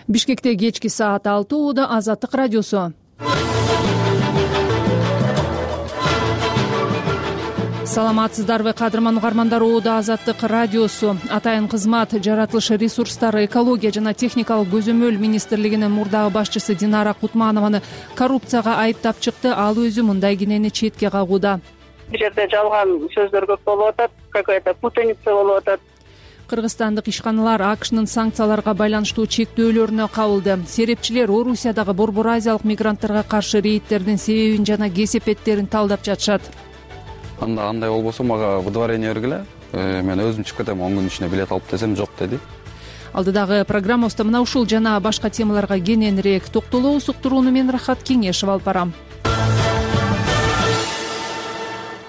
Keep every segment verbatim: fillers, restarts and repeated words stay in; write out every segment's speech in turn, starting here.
Бишкекте кечки саат алты ууда Азаттык радиосу. Саламатсыздарбы кадырман угармандар, ууда Азаттык радиосу. Атайын кызмат жаратылыш ресурстары, экология жана техникалык көзөмөл министрлигинин мурдагы башчысы Динара Кутманованы коррупцияга айыптап чыкты. Ал өзү мындай кенени четке кагууда. Бул жерде жалган сөздөр көп болуп атат, какая-то путаница болуп атат. Кыргызстандык ишканалар АКШнын санкцияларга байланыштуу чектөөлөрүнө кабылды. Серепчилер Орусиядагы Борбор Азиялык мигранттарга каршы рейдтердин себебин жана кесепеттерин талдап жатышат. Анда андай болбосо мага выдворение бергиле, мен өзүм чыгып кетем, он күн ичинде билет алып десем жок деди. Алдыдагы программабызда мына ушул жана башка темаларга кененирээк токтолобуз. Уктурууну мен Рахат Кеңешев алып барам.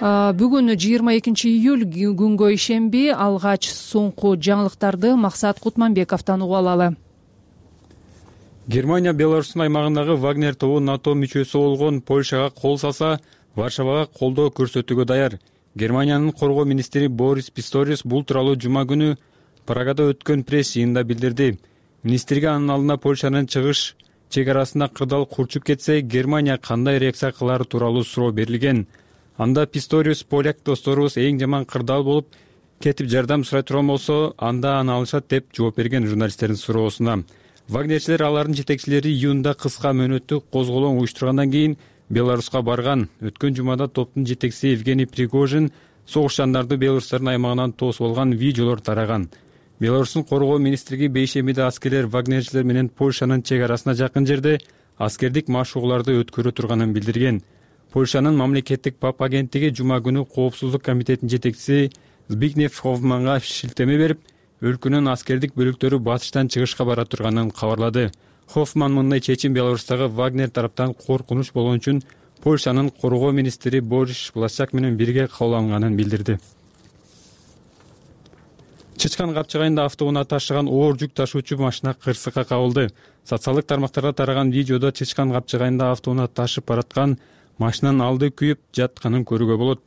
Бүгүн жыйырма экинчи июль күнгө ишемби. Алгач соңку жаңылыктарды Максат Кутманбековдон угуп алалы. Германия Беларустун аймагындагы Вагнер тобу НАТО мүчөсү болгон Польшага кол салса, Варшавага колдоо көрсөтүүгө даяр. Германиянын коргоо министри Борис Писториус бул тууралуу жума күнү Прагада өткөн пресс жыйынында билдирди. Министрге анын алдына Польшанын чыгыш чек арасында кырдаал курчуп кетсе, Германия кандай реакция кылары тууралуу суроо берилген. Анда Писториус поляк досторубуз эң жаман кырдаал болуп кетип жардам сурай турган болсо, анда аны алышат деп жооп берген журналисттердин суроосуна. Вагнерчилер алардын жетекчилери июнда кыска мөөнөттүк козголоң уюштургандан кийин Беларуска барган. Өткөн жумада топтун жетекчиси Евгений Пригожин согушчандарды Беларустардын аймагынан тосуп алган видеолор тараган. Беларустун коргоо министрлиги бейшембиде аскерлер Вагнерчилер менен Польшанын чек арасына жакын жерде аскердик машыгууларды өткөрө турганын билдирген. Польшанын мамлекеттик ПАП агенттиги жума күнү коопсуздук комитетинин жетекчиси Збигнев Хоффманга шилтеме берип, өлкөнүн аскердик бөлүктөрү батыштан чыгышка бара турганын кабарлады. Хоффман мындай чечим Беларустагы Вагнер тараптан коркунуч болгон үчүн Польшанын коргоо министри Борис Блашак менен бирге кабыл алынганын билдирди. Чычкан капчыгайында автоунаа ташыган оор жүк ташуучу машина кырсыкка кабылды. Социалдык тармактарда тараган видеодо Чычкан капчыгайында автоунаа ташып бараткан машинанын алды күйүп жатканын көрүүгө болот.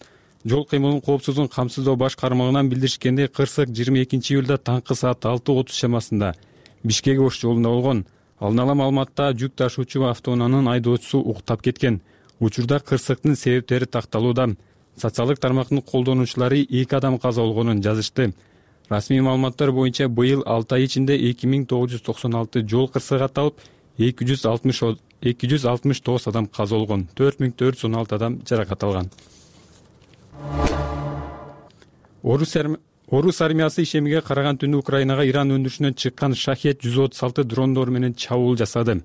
Жол кыймылын коопсуздугун камсыздоо баш кармагынан билдиришкендей, кырсык жыйырма экинчи июлда таңкы саат алты отуз чамасында Бишкек Ош жолунда болгон. Алдын ала маалыматта жүк ташуучу автоунаанын айдоочусу уктап кеткен. Учурда кырсыктын себептери такталууда. Социалдык тармактын колдонуучулары эки адам каза болгонун жазышты. Расмий маалыматтар боюнча быйыл алты ай ичинде эки миң тогуз жүз токсон алты жол кырсыгы катталып, эки жүз алтымыш тогуз адам каза болгон, төрт миң төрт жүз он алты адам жаракат алган. Орус армиясы ишемиге караган түнү Украинага Иран өндүрүшүнөн чыккан Шахет жүз отуз алты дрондор менен чабуул жасады.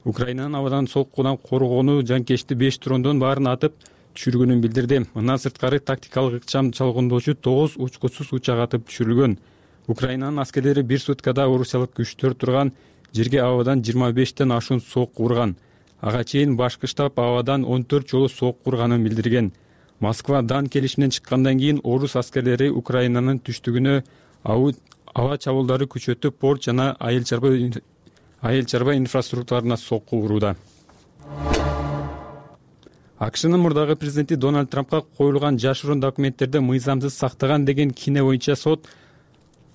Украинанын абадан соккудан коргоону жанкечти беш дрондон баарын атып түшүргөнүн билдирди. Мындан сырткары тактикалык ыкчам чалгындоочу тогуз учкучсуз учак атып түшүрүлгөн. Украинанын аскерлери бир суткада орусиялык күчтөр турган жерге абадан жыйырма бештен ашуун сокку урган. Ага чейин башкы штаб абадан он төрт жолу сокку урганын билдирген. Москва дан келишиминен чыккандан кийин орус аскерлери Украинанын түштүгүнө аба чабуулдары күчөтүп, порт жана айыл чарба инфраструктураларына сокку урууда. АКШнын мурдагы президенти Дональд Трампка коюлган жашыруун документтерди мыйзамсыз сактаган деген кине боюнча сот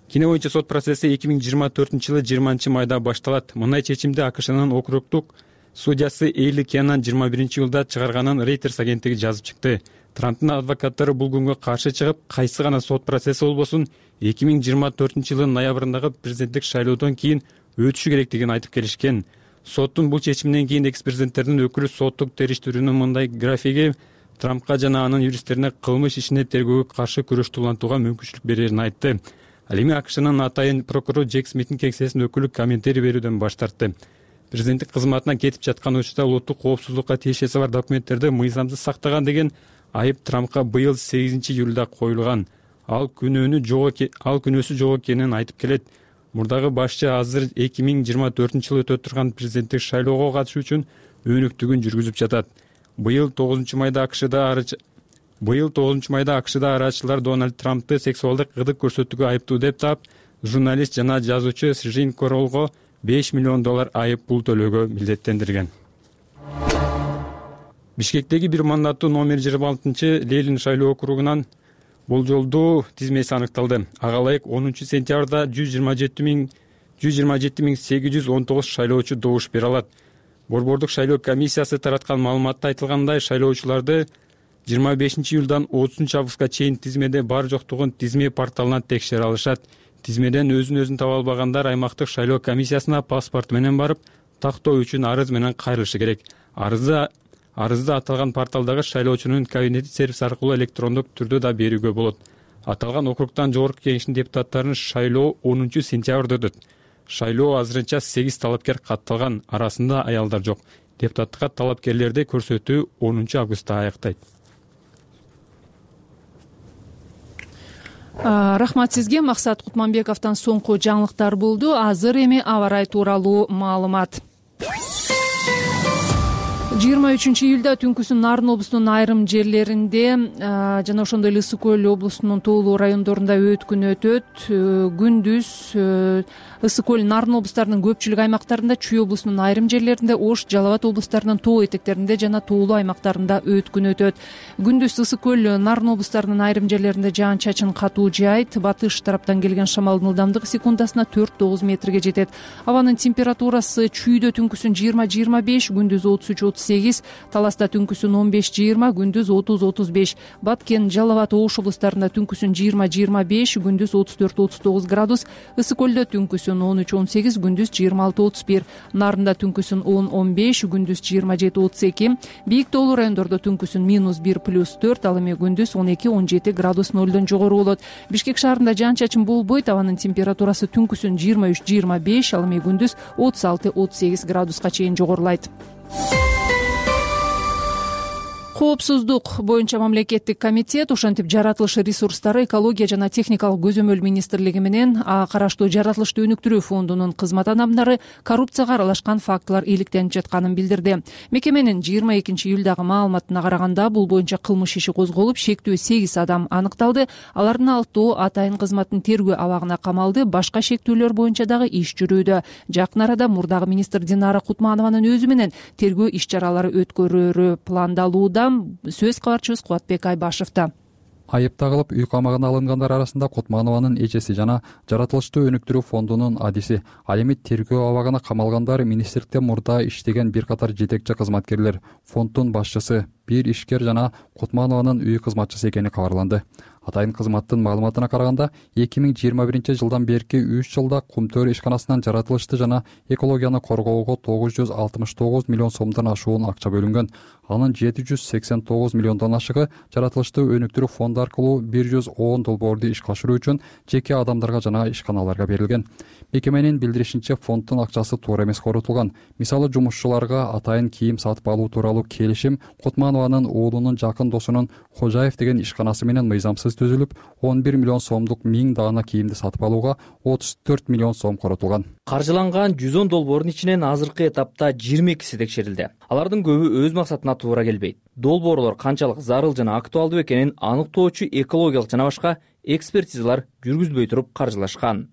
Кине боюнча сот процесси эки миң жыйырма төртүнчү жылы жыйырманчы майда башталат. Мындай чечимди АКШнын округдук судьясы Эйли Кенан жыйырма биринчи июлда чыгарганын Reuters агенттиги жазып чыкты. Трамптын адвокаттары бул күнгө каршы чыгып, кайсы гана сот процесси болбосун эки миң жыйырма төртүнчү жылдын ноябрындагы президенттик шайлоодон кийин өтүшү керектигин айтып келишкен. Соттун бул чечиминен кийин экс-президенттердин өкүлү соттук териштирүүнүн мындай графиги Трампка жана анын юристтерине кылмыш ишине тергөөгө каршы күрөштү улантууга мүмкүнчүлүк берерин айтты. Ал эми АКШнын атайын прокурору Джек Смиттин кеңсесинин өкүлү комментарий берүүдөн баш тартты. Президенттик кызматына кетип жаткан учурда улуттук коопсуздукка тиешеси бар документтерди мыйзамсыз сактаган деген айып Трампка быйыл сегизинчи июлда коюлган. Ал күнөөнү жок ал күнөөсү жок экенин айтып келет. Мурдагы башчы азыр эки миң жыйырма төртүнчү жылы өтө турган президенттик шайлоого катышуу үчүн өнүктүгүн жүргүзүп жатат. Быйыл тогузунчу майда АКШда Быйыл тогузунчу майда АКШда арачылар Дональд Трампты сексуалдык кызык көрсөтүүгө айыптуу деп таап, журналист жана жазуучу Жин Королго беш миллион доллар айып пул төлөөгө милдеттендирген. Бишкектеги бир мандаттуу номер жыйырма алтынчы Ленин шайлоо округунан болжолдуу тизмеси аныкталды. Ага ылайык онунчу сентябрда жүз жыйырма жети миң жүз жыйырма жети миң сегиз жүз он тогуз шайлоочу добуш бере алат. Борбордук шайлоо комиссиясы тараткан маалыматта айтылгандай, шайлоочуларды жыйырма бешинчи июлдан отузунчу августка чейин тизмеде бар жоктугун тизме порталынан текшере алышат. Тизмеден өзүн өзүн таба албагандар аймактык шайлоо комиссиясына паспорт менен барып, тактоо үчүн арыз менен кайрылышы керек. Арызды арызды аталган порталдагы шайлоочунун кабинети сервис аркылуу электрондук түрдө да берүүгө болот. Аталган округтан жогорку кеңештин депутаттарынын шайлоо онунчу сентябрда өтөт. Шайлоо азырынча сегиз талапкер катталган, арасында аялдар жок. Депутаттыкка талапкерлерди көрсөтүү онунчу августта аяктайт. Рахмат сизге. Максат Кутманбековдон соңку жаңылыктар болду. Азыр эми аба ырайы тууралуу маалымат. жыйырма үчүнчү июлда түнкүсүн Нарын облусунун айрым жерлеринде жана ошондой эле Ысык көл облусунун тоолуу райондорунда өткүн өтөт. Күндүз Ысык көл, Нарын облустарынын көпчүлүк аймактарында, Чүй облусунун айрым жерлеринде, Ош, Жалал Абад облустарынын тоо этектеринде жана тоолуу аймактарында өткүн өтөт. Күндүз Ысык көл, Нарын облустарынын айрым жерлеринде жаан-чачын катуу жаайт. Батыш тараптан келген шамалдын ылдамдыгы секундасына төрт тогуз метрге жетет. Абанын температурасы Чүйдө түнкүсүн жыйырма жыйырма беш, күндүз отуз үч отуз сегиз, Таласта түнкүсүн он беш жыйырма, күндүз отуз отуз беш. Баткен, Жалал Абад, Ош облустарында түнкүсүн жыйырма жыйырма беш, күндүз отуз төрт отуз тогуз градус. Ысык көлдө түнкүсүн он үч он сегиз, күндүз жыйырма алты отуз бир. Нарында түнкүсүн он он беш, күндүз жыйырма жети отуз эки. Бийик тоолуу райондордо түнкүсүн минус бир плюс төрт, ал эми күндүз он эки он жети градус нолдон жогору болот. Бишкек шаарында жаан-чачын болбойт. Абанын температурасы түнкүсүн жыйырма үч жыйырма беш, ал эми күндүз отуз алты отуз сегиз градуска чейин жогорулайт. Коопсуздук боюнча мамлекеттик комитет, ошентип жаратылыш ресурстары, экология жана техникалык көзөмөл министрлиги менен караштуу жаратылышты өнүктүрүү фондунун кызмат адамдары коррупцияга аралашкан фактылар иликтенип жатканын билдирди. Мекеменин жыйырма экинчи июлдагы маалыматына караганда, бул боюнча кылмыш иши козголуп, шектүү сегиз адам аныкталды. Алардын алтоо атайын кызматтын тергөө абагына камалды. Башка шектүүлөр боюнча дагы иш жүрүүдө. Жакын арада мурдагы министр Динара Кутманованын өзү менен тергөө иш чаралары өткөрүүрү пландалууда. Сөз кабарчыбыз Кубатбек Айбашевда. Айыпталып үй камагына алынгандар арасында Кутманованын эжеси жана жаратылышты өнүктүрүү фондунун адиси. Ал эми тергөө абагына камалгандар министрликте мурда иштеген бир катар жетекчи кызматкерлер, фонддун башчысы, бир ишкер жана Кутманованын үй кызматчысы экени кабарланды. Атайын кызматтын маалыматына караганда, эки миң жыйырма биринчи жылдан берки үч жылда Кумтөр ишканасынан жаратылышты жана экологияны коргоого тогуз жүз алтымыш тогуз миллион сомдон ашуун акча бөлүнгөн. Анын жети жүз сексен тогуз миллиондон ашыгы жаратылышты өнүктүрүү фонду аркылуу бир жүз он долбоорду ишке ашыруу үчүн жеке адамдарга жана ишканаларга берилген. Мекеменин билдиришинче, фонддун акчасы туура эмес корутулган. Мисалы, жумушчуларга атайын кийим сатып алуу тууралуу келишим Кутманованын уулунун жакын досунун Кожаев деген ишканасы менен мыйзамсыз түзүлүп, он бир миллион сомдук миң даана кийимди сатып алууга отуз төрт миллион сом коротулган. Каржыланган жүз он долбоордун ичинен азыркы этапта жыйырма экиси текшерилди. Алардын көбү өз максатына туура келбейт. Долбоорлор канчалык зарыл жана актуалдуу экенин аныктоочу экологиялык жана башка экспертизалар жүргүзбөй туруп каржылашкан.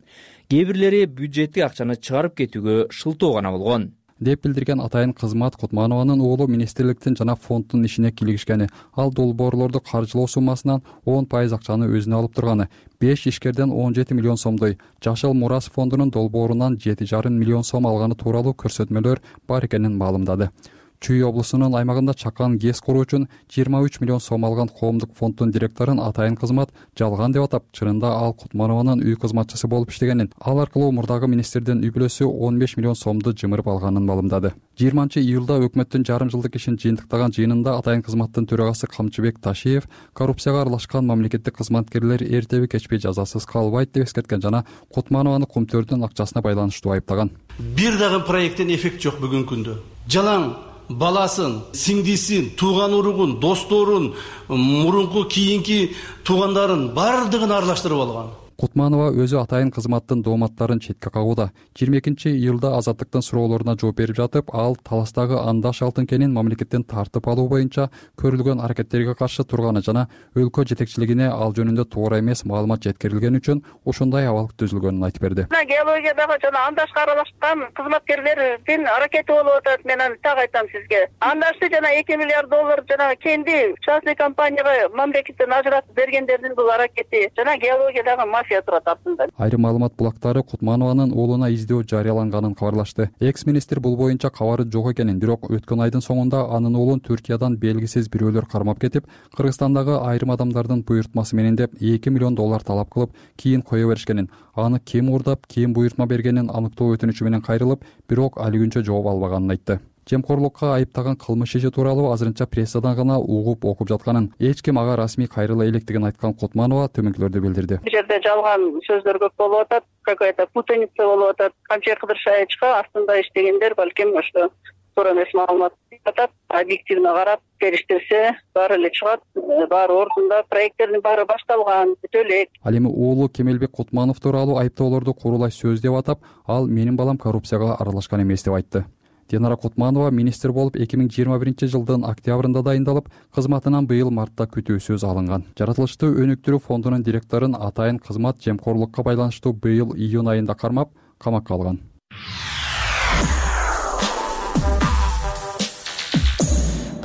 Кээ бирлери бюджеттик акчаны чыгарып кетүүгө шылтоо гана болгон, деп билдирген атайын кызмат. Кутманованын уулу министрликтин жана фонддун ишине килигишкени, ал долбоорлорду каржылоо суммасынан он пайыз акчаны өзүнө алып турганы, беш ишкерден он жети миллион сомдой Жашыл Мурас фондунун долбоорунан жети жарым миллион сом алганы тууралуу көрсөтмөлөр бар экенин маалымдады. Чүй облусунун аймагында чакан ГЭС куруу үчүн жыйырма үч миллион сом алган коомдук фонддун директорун атайын кызмат жалган деп атап, чынында ал Кутманованын үй кызматчысы болуп иштегенин, ал аркылуу мурдагы министрдин үй бүлөсү он беш миллион сомду жымырып алганын маалымдады. жыйырманчы июлда өкмөттүн жарым жылдык ишин жыйынтыктаган жыйынында атайын кызматтын төрагасы Камчыбек Ташиев коррупцияга аралашкан мамлекеттик кызматкерлер эртеби кечпей жазасыз калбайт деп эскерткен жана Кутманованы Кумтөрдүн акчасына байланыштуу айыптаган. Бир дагы проекттен эффект жок бүгүнкү күндө. Жалаң баласын, сиңдисин, тууган уругун, досторун, мурунку кийинки туугандарын бардыгын аралаштырып алган. Кутманова өзү атайын кызматтын дооматтарын четке кагууда. жыйырма экинчи июлда Азаттыктын суроолоруна жооп берип жатып, ал таластагы Андаш алтын кенин мамлекеттен тартып алуу боюнча көрүлгөн аракеттерге каршы турганы жана өлкө жетекчилигине ал жөнүндө туура эмес маалымат жеткирилгени үчүн ушундай абал түзүлгөнүн айтып берди. Геологиядагы жана Андашка аралашкан кызматкерлердин аракети болуп атат. Мен аны так айтам сизге. Андашты жана эки миллиард доллар жана кенди частный компанияга мамлекеттен ажыратып бергендердин бул аракети жана геологиядагы мафия турат артында. Айрым маалымат булактары Кутманованын уулуна издөө жарыяланганын кабарлашты. Экс-министр бул боюнча кабары жок экенин, бирок өткөн айдын соңунда анын уулун Түркиядан белгисиз бирөөлөр кармап кетип, Кыргызстандагы айрым адамдардын буйртмасы менен деп эки миллион доллар талап кылып, кийин кое беришкенин, аны ким уурдап, ким буйртма бергенин аныктоо өтүнүчү менен кайрылып, бирок али күнчө жооп албаганын айтты. Жемкорлукка айыптаган кылмыш иши тууралуу азырынча прессадан гана угуп окуп жатканын, эч ким ага расмий кайрыла электигин айткан Кутманова төмөнкүлөрдү билдирди. Бул жерде жалган сөздөр көп болуп атат, какая-то путаница болуп атат. Камчай Кыдыршаевичка астында иштегендер балким ошо туура эмес маалымат атат. Объективно карап териштирсе, баары эле чыгат, баары ордунда, проекттердин баары башталган, бүтө элек. Ал эми уулу Кемелбек Кутманов тууралуу айыптоолорду курулай сөз деп атап, ал менин балам коррупцияга аралашкан эмес деп айтты. Динара Кутманова министр болуп эки миң жыйырма биринчи жылдын октябрында дайындалып, кызматынан быйыл мартта күтүүсүз алынган. Жаратылыштуу өнүктүрүү фондунун директорун атайын кызмат жемкорлукка байланыштуу быйыл июнь айында кармап, камакка алган.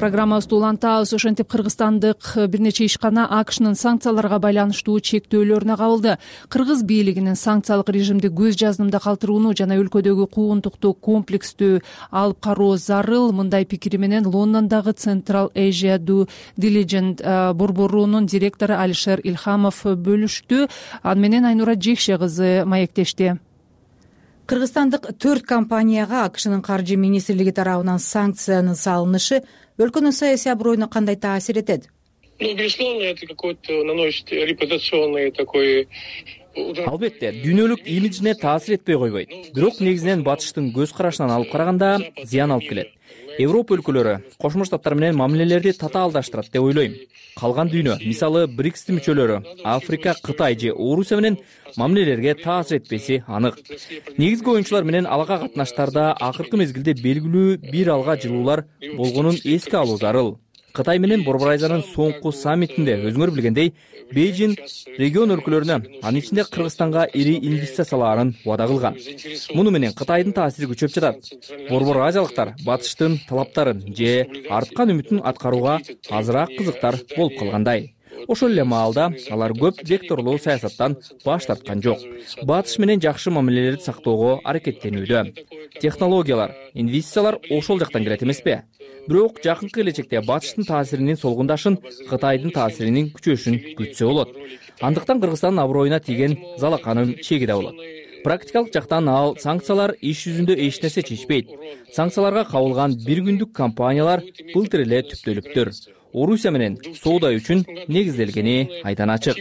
Программабызды улантабыз. Ошентип Кыргызстандык бир нече ишкана АКШнын санкцияларга байланыштуу чектөөлөрүнө кабылды. Кыргыз бийлигинин санкциялык режимди көз жаздымда калтырууну жана өлкөдөгү куугунтукту комплекстүү алып кароо зарыл. Мындай пикири менен Лондондогу Central Asia Due Diligence борборунун директору Алишер Илхамов бөлүштү. Аны менен Айнура Жекше кызы маектешти. Кыргызстандык төрт компанияга АКШнын каржы министрлиги тарабынан санкциянын салынышы өлкөнүн саясий аброюна кандай таасир этет? Ну, безусловно, это какой-то наносит репутационный такой удар. Албетте, дүйнөлүк имиджине таасир этпей койбойт. Бирок негизинен батыштын көз карашынан алып караганда зыян алып келет. Европа өлкөлөрү Кошмо Штаттар менен мамилелерди татаалдаштырат деп ойлойм. Калган дүйнө, мисалы БРИКСтин мүчөлөрү, Африка, Кытай же Орусия менен мамилелерге таасир этпеси анык. Негизги оюнчулар менен алака катнаштарда акыркы мезгилде белгилүү бир алга жылуулар болгонун эске алуу зарыл. Кытай менен Борбор Азиянын соңку саммитинде өзүңөр билгендей, Бейжин регион өлкөлөрүнө, анын ичинде Кыргызстанга ири инвестицияларын убада кылган. Муну менен Кытайдын таасири күчөп жатат. Борбор азиялыктар батыштын талаптарын же арткан үмүтүн аткарууга азыраак кызыктар болуп калгандай. Ошол эле маалда алар көп векторлуу саясаттан баш тарткан жок. Батыш менен жакшы мамилелерди сактоого аракеттенүүдө. Технологиялар, инвестициялар ошол жактан келет эмеспи? Бирок жакынкы келечекте батыштын таасиринин солгундашын, Кытайдын таасиринин күчөшүн күтсө болот. Андыктан Кыргызстандын аброюна тийген залаканын чеги да болот. Практикалык жактан ал санкциялар иш жүзүндө эч нерсе чечпейт. Санкцияларга кабылган бир күндүк компаниялар былтыр эле түптөлүптүр. Орусия менен соода үчүн негизделгени айдан ачык.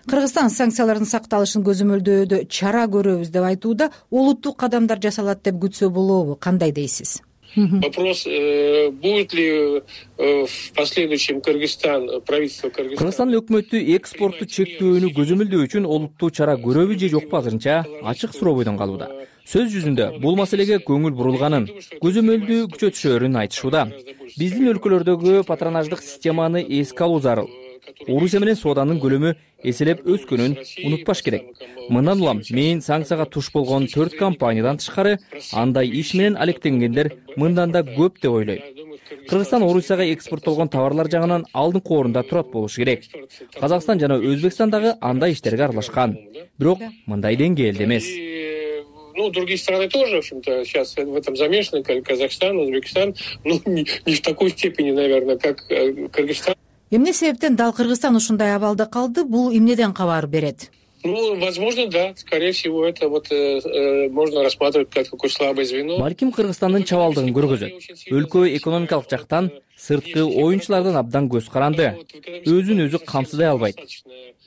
Кыргызстан санкциялардын сакталышын көзөмөлдөөдө чара көрөбүз деп айтууда, олуттуу кадамдар жасалат деп күтсө болобу? Кандай дейсиз? Вопрос, будет ли в последующем Кыргызстан, правительство Кыргызстана... Кыргызстан өкмөтү экспортту чектөөнү көзөмөлдөө үчүн олуттуу чара көрөбү же жокпу азырынча ачык суроо бойдон калууда. Сөз жүзүндө бул маселеге көңүл бурулганын, көзөмөлдүү күчөтүшөрүн айтышууда. Биздин өлкөлөрдөгү патронаждык системаны эске алуу зарыл. Орусия менен сооданын көлөмү эселеп өскөнүн унутпаш керек. Мындан улам мен санкцияга туш болгон төрт компаниядан тышкары андай иш менен алектенгендер мындан да көп деп ойлойм. Кыргызстан Орусияга экспорттолгон товарлар жагынан алдыңкы орунда турат болушу керек. Казакстан жана Өзбекстан дагы андай иштерге аралашкан. Бирок мындай деңгээлде эмес. Ну, другие страны тоже, в общем-то, сейчас в этом замешаны, как Казахстан, Узбекистан, но не, не в такой степени, наверное, как Кыргызстан. Эмне себептен дал Кыргызстан ушундай абалда калды? Бул эмнеден кабар берет? Ну, возможно, да. Скорее всего, это вот э, можно рассматривать как такое слабое звено. Балким Кыргызстандын чабалдыгын көргөзөт. Өлкө экономикалык жактан сырткы оюнчулардан абдан көз каранды. Өзүн өзү камсыздай албайт.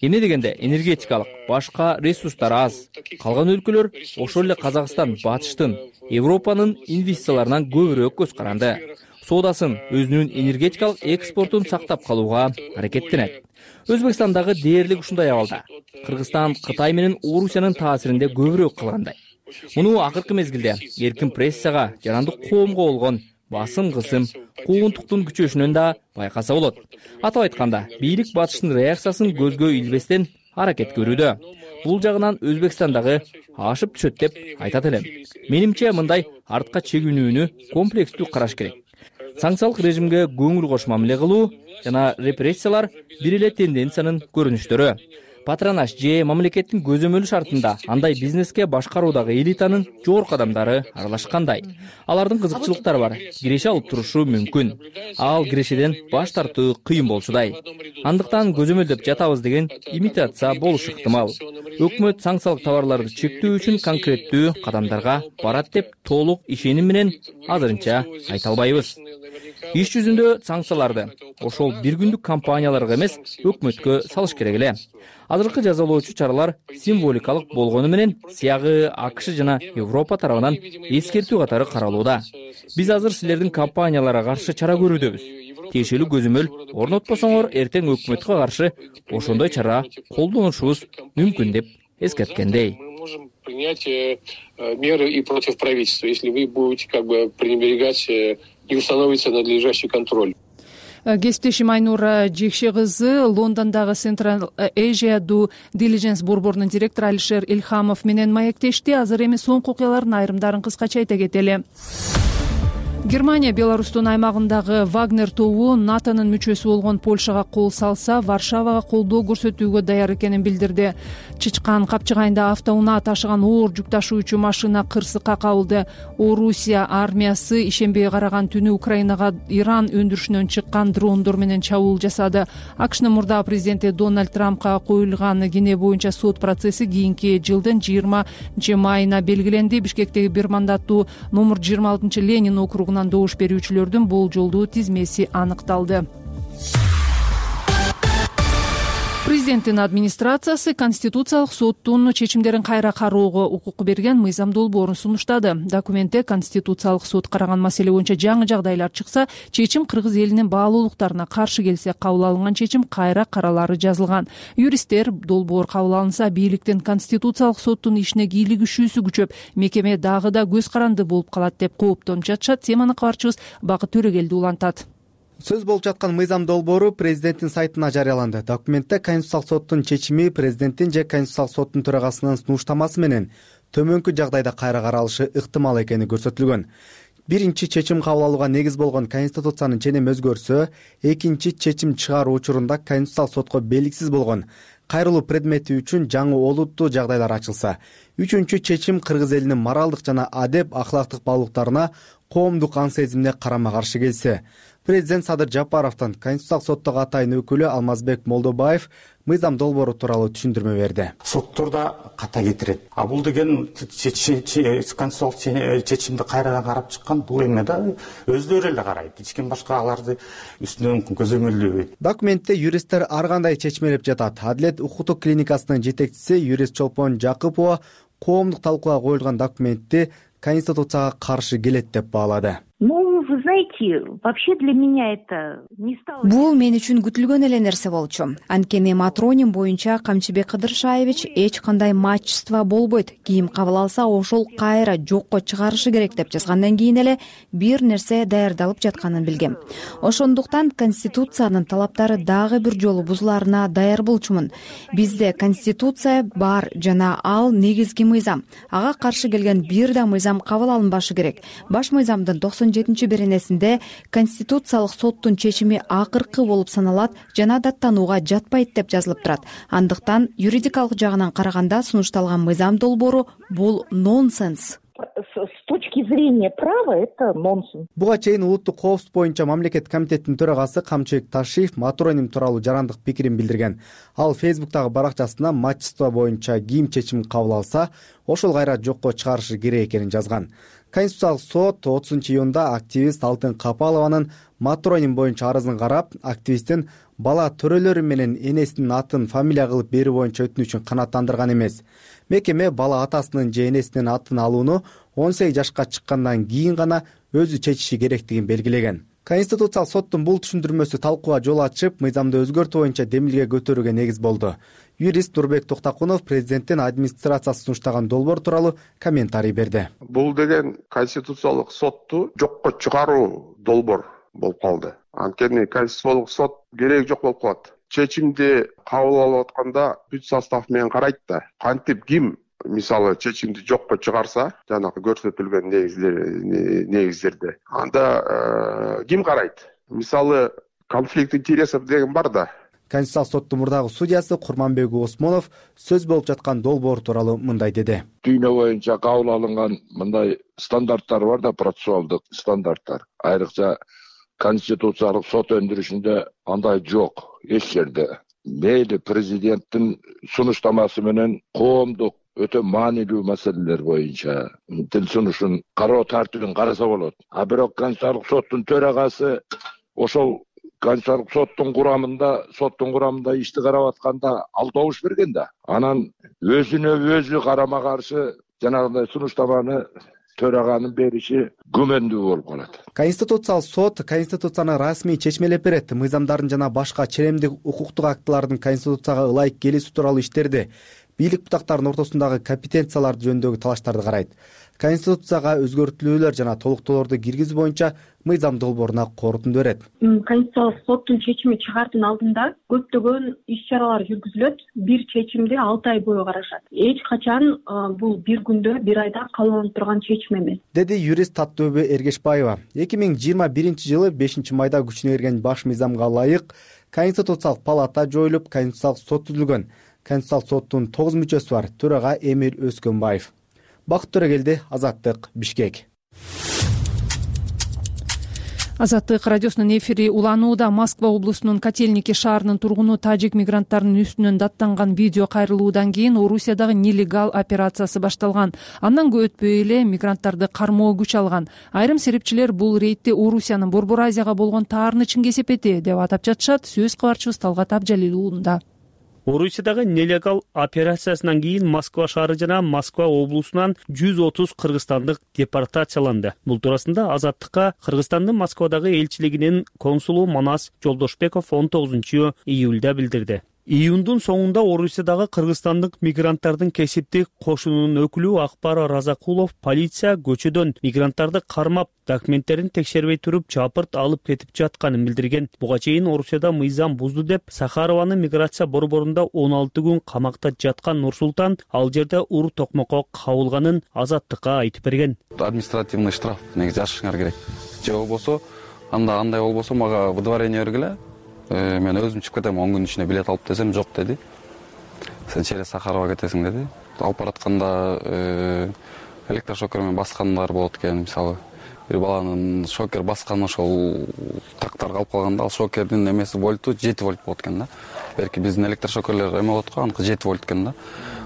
Эмне дегенде энергетикалык, башка ресурстар аз. Калган өлкөлөр, ошол эле Казакстан, батыштын, Европанын инвестицияларынан көбүрөөк көз каранды. Соодасын, өзүнүн энергетикалык экспортун сактап калууга аракеттенет. Өзбекстандагы дээрлик ушундай абалда. Кыргызстан Кытай менен Орусиянын таасиринде көбүрөөк калгандай. Муну акыркы мезгилде эркин прессага, жарандык коомго болгон басым кысым, куугунтуктун күчөшүнөн да байкаса болот. Атап айтканда, бийлик батыштын реакциясын көзгө илбестен аракет көрүүдө. Бул жагынан Өзбекстандагы ашып түшөт деп айтат элем. Менимче мындай артка чегүүнүүнү комплекстүү караш керек. санкциялык режимге көңүл кош мамиле кылуу жана репрессиялар бир эле тенденциянын көрүнүштөрү. Патронаж же мамлекеттин көзөмөлү шартында андай бизнеске башкаруудагы элитанын жогорку адамдары аралашкандай. Алардын кызыкчылыктары бар, киреше алып турушу мүмкүн. Ал кирешеден баш тартуу кыйын болчудай. Андыктан көзөмөлдөп жатабыз деген имитация болушу ыктымал. Өкмөт санкциялык товарларды чектөө үчүн конкреттүү кадамдарга барат деп толук ишеним менен азырынча айта албайбыз. Иш жүзүндө санкцияларды ошол бир күндүк компанияларга эмес, өкмөткө салыш керек эле. Азыркы жазалоочу чаралар символикалык болгону менен сыягы АКШ жана Европа тарабынан эскертүү катары каралууда. Биз азыр силердин компанияларга каршы чара көрүүдөбүз. Тиешелүү көзөмөл орнотпосоңор эртең өкмөткө каршы ошондой чара колдонушубуз мүмкүн деп эскерткендей. Принять меры и против правительства, если вы будете как бы пренебрегать, не установится надлежащий контроль. Кесиптешим Айнура Жекше кызы Лондондогу Central Asia Due Diligence борборунун директору Алишер Илхамов менен маектешти. Азыр эми соңку окуялардын айрымдарын кыскача айта кетели. Германия Беларустун аймагындагы Вагнер тобу НАТОнун мүчөсү болгон Польшага кол салса, Варшавага колдоо көрсөтүүгө даяр экенин билдирди. Чычкан капчыгайында автоунаа ташыган оор жүк ташуучу машина кырсыкка кабылды. Орусия армиясы ишембиге караган түнү Украинага Иран өндүрүшүнөн чыккан дрондор менен чабуул жасады. АКШнын мурдагы президенти Дональд Трампка коюлган кене боюнча сот процесси кийинки жылдын жыйырманчы майына белгиленди. Бишкектеги бир мандаттуу номер жыйырма алтынчы Ленин округунан добуш берүүчүлөрдүн болжолдуу тизмеси аныкталды. Президенттин администрациясы Конституциялык соттун чечимдерин кайра кароого укук берген мыйзам долбоорун сунуштады. Документте Конституциялык сот караган маселе боюнча жаңы жагдайлар чыкса, чечим кыргыз элинин баалуулуктарына каршы келсе, кабыл алынган чечим кайра каралары жазылган. Юристтер долбоор кабыл алынса, бийликтин Конституциялык соттун ишине кийлигишүүсү күчөп, мекеме дагы да көз каранды болуп калат деп кооптонуп жатышат. Теманы кабарчыбыз Бакыт Төрөгелди улантат. Сөз болуп жаткан мыйзам долбоору президенттин сайтына жарыяланды. Документте Конституциялык соттун чечими президенттин же Конституциялык соттун төрагасынын сунуштамасы менен төмөнкү жагдайда кайра каралышы ыктымал экени көрсөтүлгөн. Биринчи чечим кабыл алууга негиз болгон Конституциянын ченеми өзгөрсө, экинчи чечим чыгаруу учурунда Конституциялык сотко белгисиз болгон кайрылуу предмети үчүн жаңы олуттуу жагдайлар ачылса, үчүнчү чечим кыргыз элинин моралдык жана адеп ахлактык баалуулуктарына коомдук ан сезимине карама каршы келсе, президент Садыр Жапаровдон Конституциялык соттогу атайын өкүлү Алмазбек Молдобаев мыйзам долбоору тууралуу түшүндүрмө берди. Сотторда ката кетирет. А бул деген конституциялык чечимди кайрадан карап чыккан, бул эме да өздөрү эле карайт. Эч ким башка аларды үстүнөн көзөмөлдөбөйт. Документте юристтер ар кандай чечмелеп жатат. Адилет укуктук клиникасынын жетекчиси юрист Чолпон Жакыпова коомдук талкууга коюлган документти Конституцияга каршы келет деп баалады. Ну, вы знаете, вообще для меня это не стало... Бул мен үчүн күтүлгөн эле нерсе болчу. Анткени матроним боюнча Камчыбек Кыдыршаевич эч кандай матчество болбойт. Кийим кабыл алса, ошол кайра жокко чыгарышы керек деп жазгандан кийин эле бир нерсе даярдалып жатканын билгем. Ошондуктан Конституциянын талаптары дагы бир жолу бузуларына даяр болчумун. Бизде Конституция бар жана ал негизги мыйзам. Ага каршы келген бир да мыйзам кабыл алынбашы керек. Баш мыйзамдын токсон жетинчи беренесинде Конституциялык соттун чечими акыркы болуп саналат жана даттанууга жатпайт деп жазылып турат. Андыктан юридикалык жагынан караганда сунушталган мыйзам долбоору бул нонсенс. С точки зрения права это нонсенс. Буга чейин улуттук коопсуздук боюнча мамлекет комитетинин төрагасы Камчыбек Ташиев матроним тууралуу жарандык пикирин билдирген. Ал Фейсбуктагы баракчасына матчество боюнча ким чечим кабыл алса, ошол кайра жокко чыгарышы керек экенин жазган. Конституциялык сот отузунчу июнда активист Алтын Капалованын матроним боюнча арызын карап, активисттин бала төрөлөрү менен энесинин атын фамилия кылып берүү боюнча өтүнүчүн канааттандырган эмес. Мекеме бала атасынын же энесинин атын алууну он сегиз жашка чыккандан кийин гана өзү чечиши керектигин белгилеген. Конституциялык соттун бул түшүндүрмөсү талкууга жол ачып, мыйзамды өзгөртүү боюнча демилге көтөрүүгө негиз болду. Юрист Нурбек Токтакунов президенттин администрациясы сунуштаган долбоор тууралуу комментарий берди. Бул деген Конституциялык сотту жокко чыгаруу долбоор болуп калды. Анткени Конституциялык сот кереги жок болуп калат. Чечимди кабыл алып атканда бүт состав менен карайт да, кантип ким мисалы чечимди жокко чыгарса жанагы көрсөтүлгөн негиздерде, анда ким карайт? Мисалы конфликт интересов деген бар да. Конституциялык соттун мурдагы судьясы Курманбек Осмонов сөз болуп жаткан долбоор тууралуу мындай деди. Дүйнө боюнча кабыл алынган мындай стандарттар бар да, процессуалдык стандарттар. Айрыкча конституциялык сот өндүрүшүндө андай жок эч жерде. Мейли президенттин сунуштамасы менен коомдук өтө маанилүү маселелер боюнча тил сунушун кароо тартибин караса болот. А бирок конституциялык соттун төрагасы ошол Конституциялык соттун курамында, соттун курамында ишти карап атканда ал добуш берген да. Анан өзүнө өзү карама каршы жанагындай сунуштаманы төраганын бериши күмөндүү болуп калат. Конституциялык сот конституцияны расмий чечмелеп берет. Мыйзамдардын жана башка ченемдик укуктук актылардын конституцияга ылайык келүүсү тууралуу иштерди, бийлик бутактарынын ортосундагы компетенциялар жөнүндөгү талаштарды карайт. Конституцияга өзгөртүүлөр жана толуктоолорду киргизүү боюнча мыйзам долбооруна корутунду берет. Конституциялык соттун чечими чыгаардын алдында көптөгөн иш-чаралар жүргүзүлөт. Бир чечимди алты ай бою карашат. Эч качан бул бир күндө, бир айда кабыл алынып турган чечим эмес, деди юрист Таттөбө Эргешбаева. эки миң жыйырма биринчи жылы бешинчи майда күчүнө кирген баш мыйзамга ылайык Конституциялык палата жоюлуп, Конституциялык сот түзүлгөн. Конституциялык соттун тогуз мүчөсү бар. Төрага Эмир Өскөнбаев. Бакыт Төрөгелди, Азаттык, Бишкек. Азаттык радиосунун эфири уланууда. Москва облусунун Котельники шаарынын тургуну тажик мигранттарынын үстүнөн даттанган видео кайрылуудан кийин Орусиядагы нелегал операциясы башталган. Андан көп өтпөй эле мигранттарды кармоо күч алган. Айрым серепчилер бул рейдти Орусиянын Борбор Азияга болгон таарынычын кесепети деп атап жатышат. Сөз кабарчыбыз Талгат Абжалил уулунда. Орусиядагы нелегал операциясынан кийин Москва шаары жана Москва облусунан жүз отуз кыргызстандык депортацияланды. Бул туурасында Азаттыкка Кыргызстандын Москвадагы элчилигинин консулу Манас Жолдошбеков он тогузунчу июлда билдирди. Июндун соңунда Орусиядагы кыргызстандык мигранттардын кесиптик кошунунун өкүлү Акбар Разакулов полиция көчөдөн мигранттарды кармап, документтерин текшербей туруп чапырт алып кетип жатканын билдирген. Буга чейин Орусияда мыйзам бузду деп Сахарованын миграция борборунда он алты күн камакта жаткан Нурсултан ал жерде ур токмокко кабылганын Азаттыкка айтып берген. Административный штраф негизи жашырыңар керек. Же болбосо анда андай болбосо мага выдворение бергиле. Мен өзүм чыгып кетем, он күн ичинде билет алып десем, жок деди. Сен через Сахарова кетесиң деди. Алып баратканда электрошокер менен баскандар болот экен, мисалы. Бир баланын шокер басканы ошол тактар калып калганда, ал шокердин эмеси вольту жети вольт болот экен да. Берки биздин электрошокерлер эме болот го, аныкы жети вольт экен да.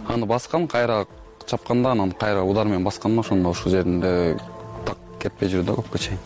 Аны баскан, кайра чапканда, анан кайра удар менен басканда ошондо ушул жеринде так кетпей жүрдү да көпкө чейин.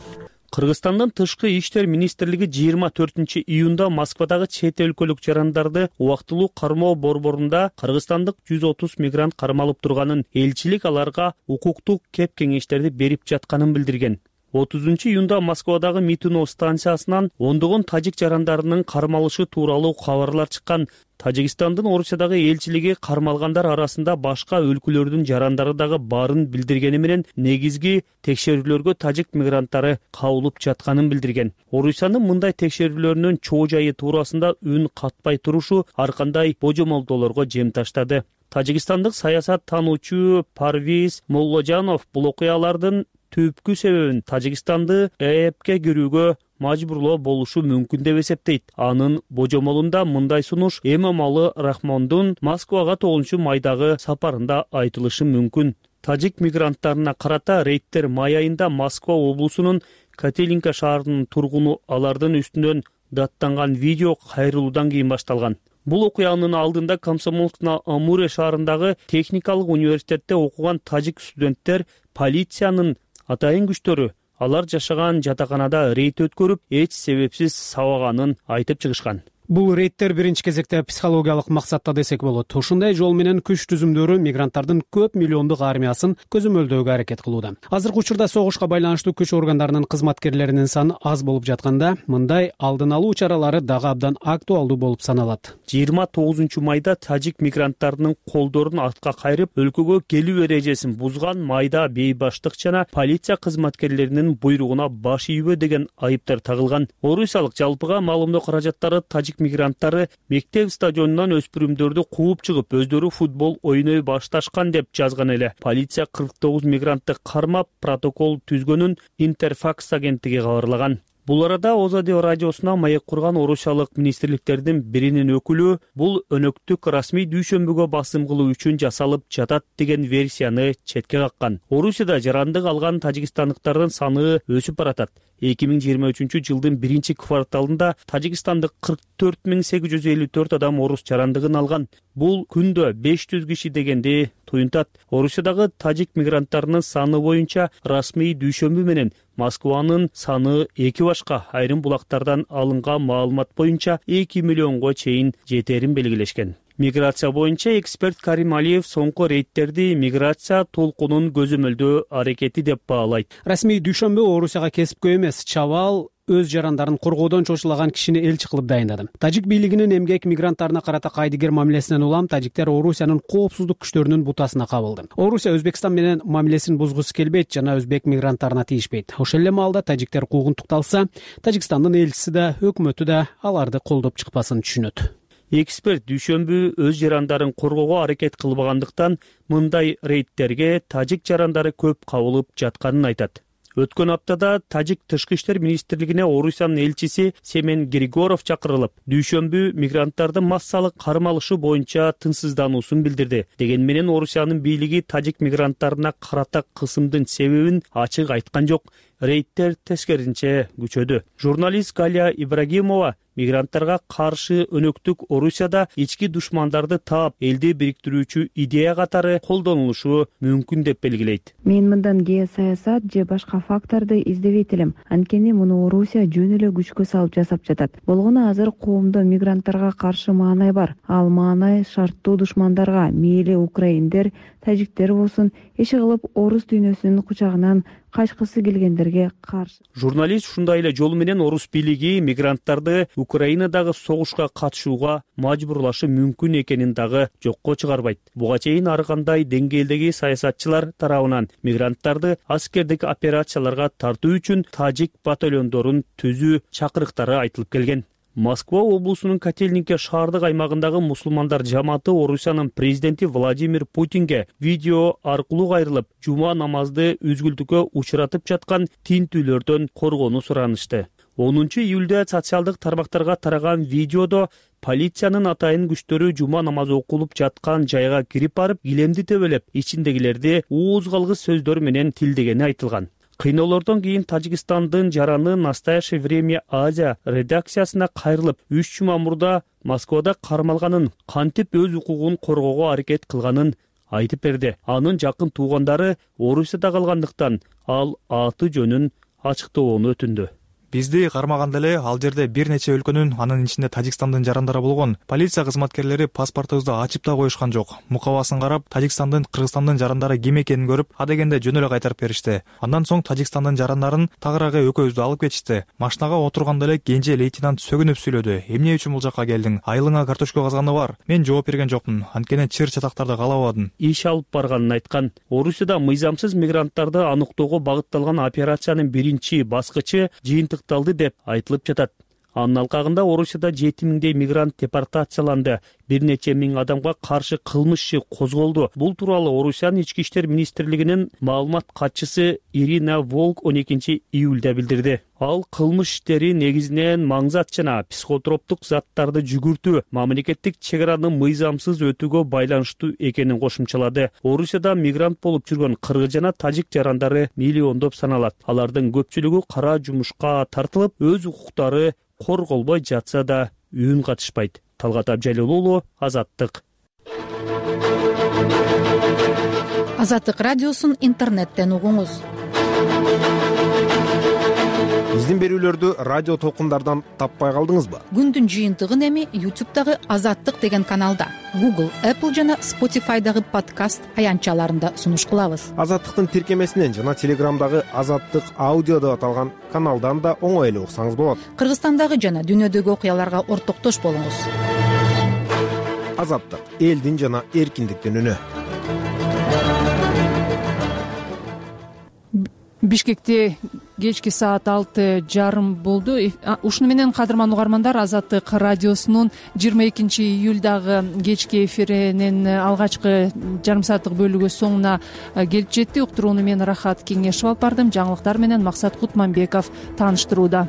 Кыргызстандын тышкы иштер министрлиги жыйырма төртүнчү июнда Москвадагы чет өлкөлүк жарандарды убактылуу кармоо борборунда кыргызстандык жүз отуз мигрант кармалып турганын, элчилик аларга укуктук кеп кеңештерди берип жатканын билдирген. отузунчу июнда Москвадагы Митино станциясынан ондогон тажик жарандарынын кармалышы тууралуу кабарлар чыккан. Тажикстандын Орусиядагы элчилиги кармалгандар арасында башка өлкөлөрдүн жарандары дагы барын билдиргени менен негизги текшерүүлөргө тажик мигранттары кабылып жатканын билдирген. Орусиянын мындай текшерүүлөрүнүн чоо жайы туурасында үн катпай турушу ар кандай божомолдоолорго жем таштады. Тажикстандык саясат таануучу Парвиз Молложанов бул окуялардын түпкү себебин Тажикстанды ЭЭПке кирүүгө мажбурлоо болушу мүмкүн деп эсептейт. Анын божомолунда мындай сунуш Эмомалы Рахмондун Москвага тогузунчу майдагы сапарында айтылышы мүмкүн. Тажик мигранттарына карата рейдтер май айында Москва облусунун Котельники шаарынын тургуну алардын үстүнөн даттанган видео кайрылуудан кийин башталган. Бул окуянын алдында Комсомольск на Амуре шаарындагы техникалык университетте окуган тажик студенттер полициянын атайын күчтөрү алар жашаган жатаканада рейд өткөрүп, эч себепсиз сабаганын айтып чыгышкан. Бул рейдтер биринчи кезекте психологиялык максатта десек болот. Ушундай жол менен күч түзүмдөрү мигранттардын көп миллиондук армиясын көзөмөлдөөгө аракет кылууда. Азыркы учурда согушка байланыштуу күч органдарынын кызматкерлеринин саны аз болуп жатканда, мындай алдын алуу чаралары дагы абдан актуалдуу болуп саналат. жыйырма тогузунчу майда тажик мигранттарынын колдорун артка кайрып, өлкөгө келүү эрежесин бузган майда бейбаштык жана полиция кызматкерлеринин буйругуна баш ийбөө деген айыптар тагылган. Орусиялык жалпыга маалымдоо каражаттары тажик тажик мигранттары мектеп стадионунан өспүрүмдөрдү кууп чыгып, өздөрү футбол ойной башташкан деп жазган эле. Полиция кырк тогуз мигрантты кармап, протокол түзгөнүн Интерфакс агенттиги кабарлаган. Бул арада Озадио радиосуна маек курган орусиялык министрликтердин биринин өкүлү бул өнөктүк расмий дүйшөмбүгө басым кылуу үчүн жасалып жатат деген версияны четке каккан. Орусияда жарандык алган тажикстандыктардын саны өсүп баратат. эки миң жыйырма үчүнчү жылдын биринчи кварталында тажикстандык кырк төрт миң сегиз жүз элүү төрт адам орус жарандыгын алган. Бул күндө беш жүз киши дегенди туюнтат. Орусиядагы тажик мигранттарынын саны боюнча расмий дүйшөмбү менен Москванын саны эки башка. Айрым булактардан алынган маалымат боюнча эки миллионго чейин жетерин белгилешкен. Миграция боюнча эксперт Карим Алиев соңку рейдтерди миграция толкунун көзөмөлдөө аракети деп баалайт. Расмий дүйшөмбү Орусияга кесипкөй эмес, чабал өз жарандарын коргоодон чочулаган кишини элчи кылып дайындады. Тажик бийлигинин эмгек мигранттарына карата кайдыгер мамилесинен улам тажиктер Орусиянын коопсуздук күчтөрүнүн бутасына кабылды. Орусия Өзбекстан менен мамилесин бузгусу келбейт жана өзбек мигранттарына тийишпейт. Ошол эле маалда тажиктер куугунтукталса, Тажикстандын элчиси да, өкмөтү да аларды колдоп чыкпасын түшүнөт. Эксперт дүйшөмбү өз жарандарын коргоого аракет кылбагандыктан мындай рейдтерге тажик жарандары көп кабылып жатканын айтат. Өткөн аптада тажик тышкы иштер министрлигине Орусиянын элчиси Семен Григоров чакырылып, дүйшөмбү мигранттардын массалык кармалышы боюнча тынчсыздануусун билдирди. Дегени менен Орусиянын бийлиги тажик мигранттарына карата кысымдын себебин ачык айткан жок. Рейдтер тескерисинче күчөдү. Журналист Галия Ибрагимова мигранттарга каршы өнөктүк Орусияда ички душмандарды таап, элди бириктирүүчү идея катары колдонулушу мүмкүн деп белгилейт. Мен мындан геосаясат же башка факторду издебейт элем. Анткени муну Орусия жөн эле күчкө салып жасап жатат. Болгону азыр коомдо мигранттарга каршы маанай бар. Ал маанай шарттуу душмандарга, мейли украиндер, тажиктер болсун, иши кылып орус дүйнөсүнүн кучагынан качкысы келгендерге каршы. Журналист ушундай эле жол менен орус бийлиги мигранттарды Украинадагы согушка катышууга мажбурлашы мүмкүн экенин дагы жокко чыгарбайт. Буга чейин ар кандай деңгээлдеги саясатчылар тарабынан мигранттарды аскердик операцияларга тартуу үчүн тажик батальондорун түзүү чакырыктары айтылып келген. Москва облусунун Котельнике шаардык аймагындагы мусулмандар жамааты Орусиянын президенти Владимир Путинге видео аркылуу кайрылып, жума намазды үзгүлтүккө учуратып жаткан тинтүүлөрдөн коргоону суранышты. онунчу июлда социалдык тармактарга тараган видеодо полициянын атайын күчтөрү жума намазы окулуп жаткан жайга кирип барып, килемди тебелеп, ичиндегилерди ууз калгыс сөздөр менен тилдегени айтылган. Кыйноолордон кийин Тажикстандын жараны Настоящее время Азия редакциясына кайрылып, үч жума мурда Москвада кармалганын, кантип өз укугун коргоого аракет кылганын айтып берди. Анын жакын туугандары Орусияда калгандыктан ал аты жөнүн ачыктоону өтүндү. Бизди кармаганда эле ал жерде бир нече өлкөнүн, анын ичинде Тажикстандын жарандары болгон. Полиция кызматкерлери паспортубузду ачып да коюшкан жок. Мукабасын карап, Тажикстандын, Кыргызстандын жарандары ким экенин көрүп, адегенде жөн эле кайтарып беришти. Андан соң Тажикстандын жарандарын тагыраагы экөөбүздү алып кетишти. Машинага отурганда эле кенже лейтенант сөгүнүп сүйлөдү. Эмне үчүн бул жакка келдиң? Айылыңа картошка казганы бар. Мен жооп берген жокмун. Анткени чыр чатактарды каалабадым. Иш алып барганын айткан. Орусияда мыйзамсыз мигранттарды аныктоого багытталган операциянын биринчи баскычы жыйынтык деп айтылып жатат. Анын алкагында Орусияда жети миңдей мигрант депортацияланды. Бир нече миң адамга каршы кылмыш иши козголду. Бул тууралуу Орусиянын ички иштер министрлигинин маалымат катчысы Ирина Волк он экинчи июлда билдирди. Ал кылмыш иштери негизинен маңзат жана психотроптук заттарды жүгүртүү, мамлекеттик чегараны мыйзамсыз өтүүгө байланыштуу экенин кошумчалады. Орусияда мигрант болуп жүргөн кыргыз жана тажик жарандары миллиондоп саналат. Алардын көпчүлүгү кара жумушка тартылып, өз укуктары корголбой жатса да үн катышпайт. Талгат Абжалил уулу, Азаттык. Азаттык радиосун интернеттен угуңуз. Биздин берүүлөрдү радио толкундардан таппай калдыңызбы? Күндүн жыйынтыгын эми YouTube'дагы Азаттык деген каналда, Google, Apple жана Spotify'дагы подкаст аянтчаларында сунуш кылабыз. Азаттыктын тиркемесинен жана Телеграмдагы Азаттык аудио деп аталган каналдан да оңой эле уксаңыз болот. Кыргызстандагы жана дүйнөдөгү окуяларга ортоктош болуңуз. Азаттык — элдин жана эркиндиктин үнү. Бишкекте кечки саат алты жарым болду. Ушуну менен кадырман угармандар, Азаттык радиосунун жыйырма экинчи июлдагы кечки эфиринин алгачкы жарым сааттык бөлүгү соңуна келип жетти. Уктурууну мен Рахат Кеңешов алып бардым. Жаңылыктар менен Максат Кутманбеков тааныштырууда.